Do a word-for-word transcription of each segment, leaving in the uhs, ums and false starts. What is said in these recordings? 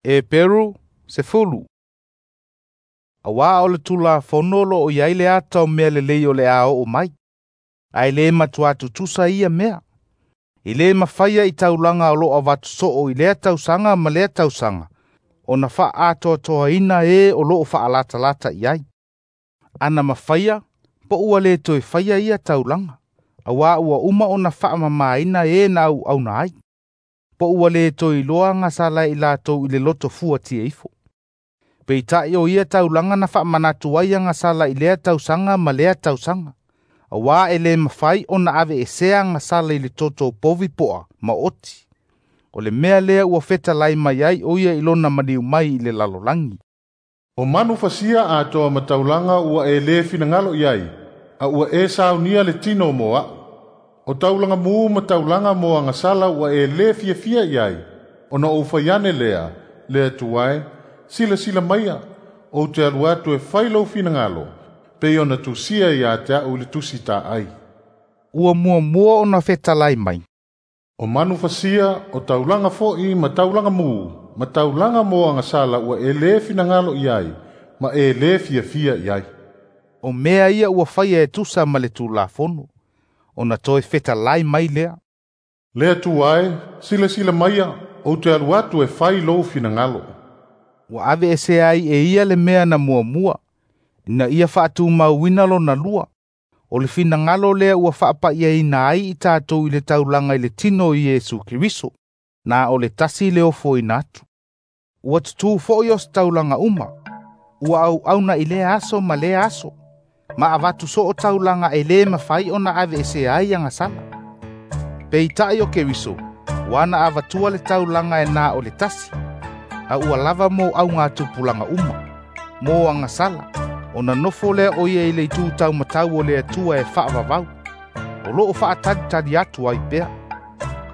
Eperu sefulu. Auā o le Tulafono o loo i ai le ata o mea lelei o le a oo mai, ae lē matuā tutusa ia mea. E lē mafaia i taulaga o loo avatu soo i lea tausaga ma lea tausaga ona faaatoatoaina e o loo faalatalata i ai. Ana mafaia po ua lē toe faia ia taulaga, auā ua uma ona faamamaina e na auauna ai, po ua lē toe iloa agasala e i latou i le loto fuatia ifo. Peita'i o ia taulaga na faamanatu ai agasala i lea tausaga ma lea tausaga, auā e lē mafai ona aveesea agasala i le toto o povi po'a ma oti. O le mea lea ua fetalai mai ai o ia i lona maliu mai i le lalolagi. O manu fasia atoa ma taulaga ua e lē finagalo i ai, a ua e saunia le tino mo a'u. O taulaga mū ma taulaga mo agasala ua e lē fiafia i ai, ona ou fai ane lea, Le Atua e, silasila maia, ou te alu atu e fai lou finagalo, pei ona tusia iā te a'u i le tusi taai. Ua muamua ona fetalai mai, O manu fasia, o taulaga fo'i ma taulaga mū, ma taulaga mo agasala ua e lē finagalo i ai, ma e lē fiafia i ai. O mea ia ua faia e tusa ma le Tulafono, ona toe fetalai mai lea, Le Atua e, silasila maia, ou te alu atu e fai lou finagalo. Ua aveesea ai e ia le mea na muamua, ina ia faatumauina lona lua. O le finagalo lea ua faapa'iaina ai i tatou i le taulaga i le tino o Iesu Keriso, na o le tasi le ofoina atu. Ua tutū fo'i o se taulaga uma, ua auauna i lea aso ma lea aso, ma avatu soo taulaga e lē mafai ona aveesea ai agasala. Peita'i o Keriso, ua na avatua le taulaga e na o le tasi, a ua lava mo augatupulaga uma, mo agasala, ona nofo lea o ia i le itu taumatau o le Atua e faavavau, o loo faatalitali atu ai pea,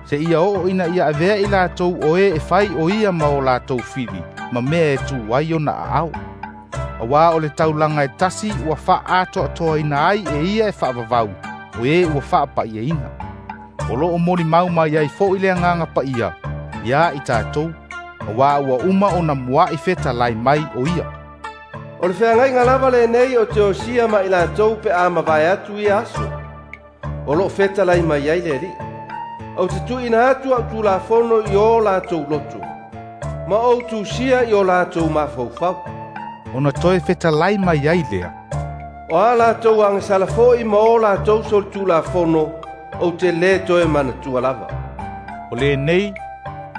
seia oo ina ia avea i latou o e e fai o ia ma o latou fili ma mea e tū ai ona aao. Auā o le taulaga e tasi ua faaatoatoaina ai e ia e faavavau, o e ua faapa'iaina. O loo molimau mai ai fo'i le Agaga Paia iā i tatou, auā ua uma ona mua'i fetalai mai o ia. O le feagaiga lava lenei o te osia ma i latou pe a mavae atu ia aso, o loo fetalai mai ai le Alii. Ou te tuuina atu a'u tulafono i o latou loto, ma ou tusia i o latou mafaufau. Ona toe fetalai mai ai lea, O a latou agasala fo'i ma o latou solitulafono, ou te lē toe manatua lava. O lenei,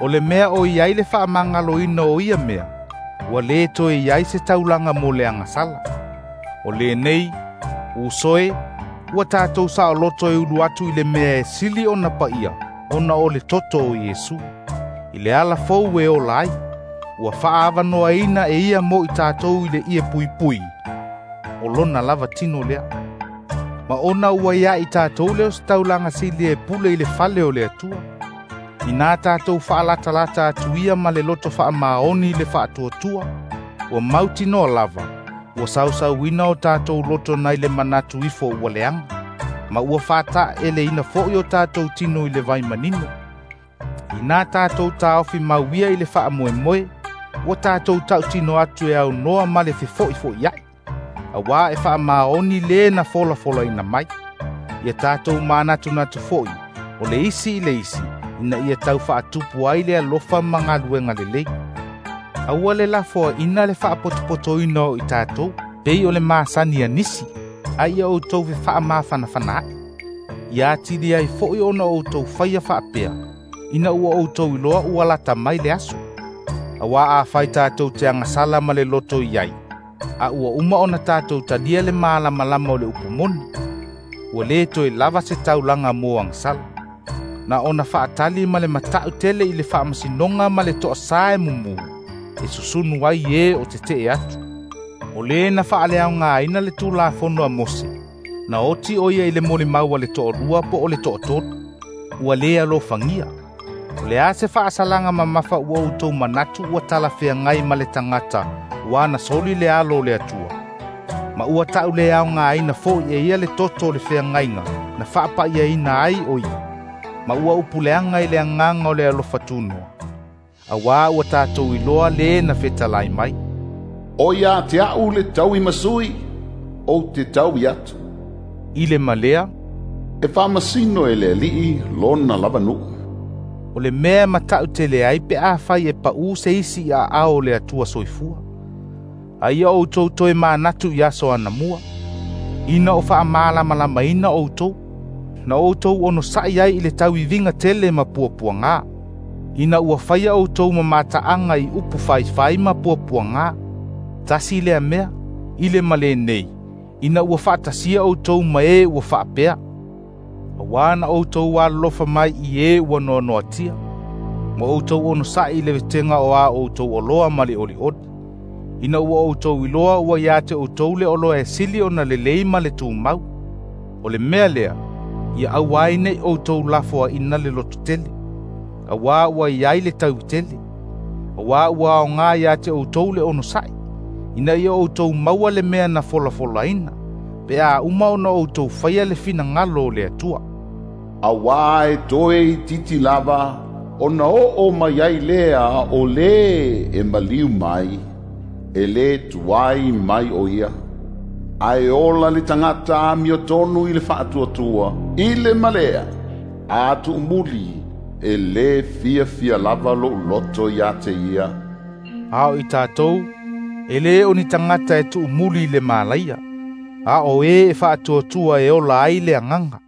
o le mea o i ai le faamagaloina o ia mea, ua lē toe i ai se taulaga mo le agasala. O lenei, uso e, ua tatou saoloto e ulu atu i le mea e sili ona paia, ona o le toto o Iesu. I le ala fou e ola ai, ua faaavanoaina e ia mo i tatou i le ie puipui, o lona lava tino lea. Ma ona ua ia i tatou lea o se taulaga sili e pule i le fale o le Atua, inā tatou faalatalata atu ia ma le loto faamaoni i le faatuatua, ua mautinoa lava, ua sausauina o tatou loto nai le manatu ifo ua leaga, ma ua faataeleina fo'i o tatou tino i le vai manino. Inā tatou taofi mauia i le faamoemoe, ua tatou tautino atu e aunoa ma le fefo'ifo'ia'i, auā e faamaoni lē na folafolaina mai. Ia tatou manatunatu fo'i, o le isi i le isi, ina ia tau faatupu ai le alofa ma galuega lelei. Aua le lafoaina le faapotopotoina o i tatou, pei o le masani a nisi, a ia outou fefaamafanafanaai. Ia atili ai fo'i ona outou faia faapea, ina ua outou iloa ua lata mai le aso. Auā afai tatou te agasala ma le loto i ai, a ua uma ona tatou talia le malamalama o le upu moni, ua lē toe lava se taulaga mo agasala. Na ona faatali ma le mata'u tele i le faamasinoga ma le toasā e mumū, e susunu ai e o tete'e atu. O lē na faaleaogāina le Tulafono a Mose, na oti o ia i le molimau a le toalua po o le toatolu, ua lē alofagia. O le a se faasalaga mamafa ua outou manatu ua talafeagai ma le tagata ua na soli le alo o le Atua, ma ua ta'uleaogāina fo'i e ia le toto o le feagaiga na faapa'iaina ai o ia, ma ua upuleaga i le agaga o le alofa tunoa. Auā ua tatou iloa lē na fetalai mai, “O ia te a'u le tauimasui, ou te taui atu.” I le ma lea, “E faamasino e le Alii lona lava nuu.” O le mea e mataʻu tele ai pe afai e paʻū se isi i aao o le Atua soifua. A ia outou toe manatu i aso anamua, ina o faamalamalamaina outou, na outou onosaʻi ai i le tauiviga tele ma puapuagā, ina ua faia outou ma mataʻaga i upu faifai ma puapuagā. Tasi lea mea, i le ma lenei, ina ua faatasia outou ma e ua faapea. Auā na outou alolofa mai i e ua noanoatia, ma outou onosaʻi i le wetega o a outou oloa ma le olioli, ina ua outou iloa ua ia te outou le oloa e sili ona lelei ma le tumau. O le mea lea, ia aua ai neʻi outou lafoaʻina le lototele, auā ua i ai le tauitele, auā ua aogā ia te outou le onosaʻi, ina ia outou maua le mea na folafolaina, pe a uma ona outou faia le finagalo o le Atua. Auā e toe itiiti lava ona oo mai ai lea o lē e maliu mai, e lē tuai mai o ia. Ae ola le tagata amiotonu i le faatuatua, i le ma lea, a tuumuli, e lē fiafia lava loʻu loto iā te ia.” A o i tatou, e lē o ni tagata e tuumuli i le malaia, a o e e faatuatua e ola ai le agaga.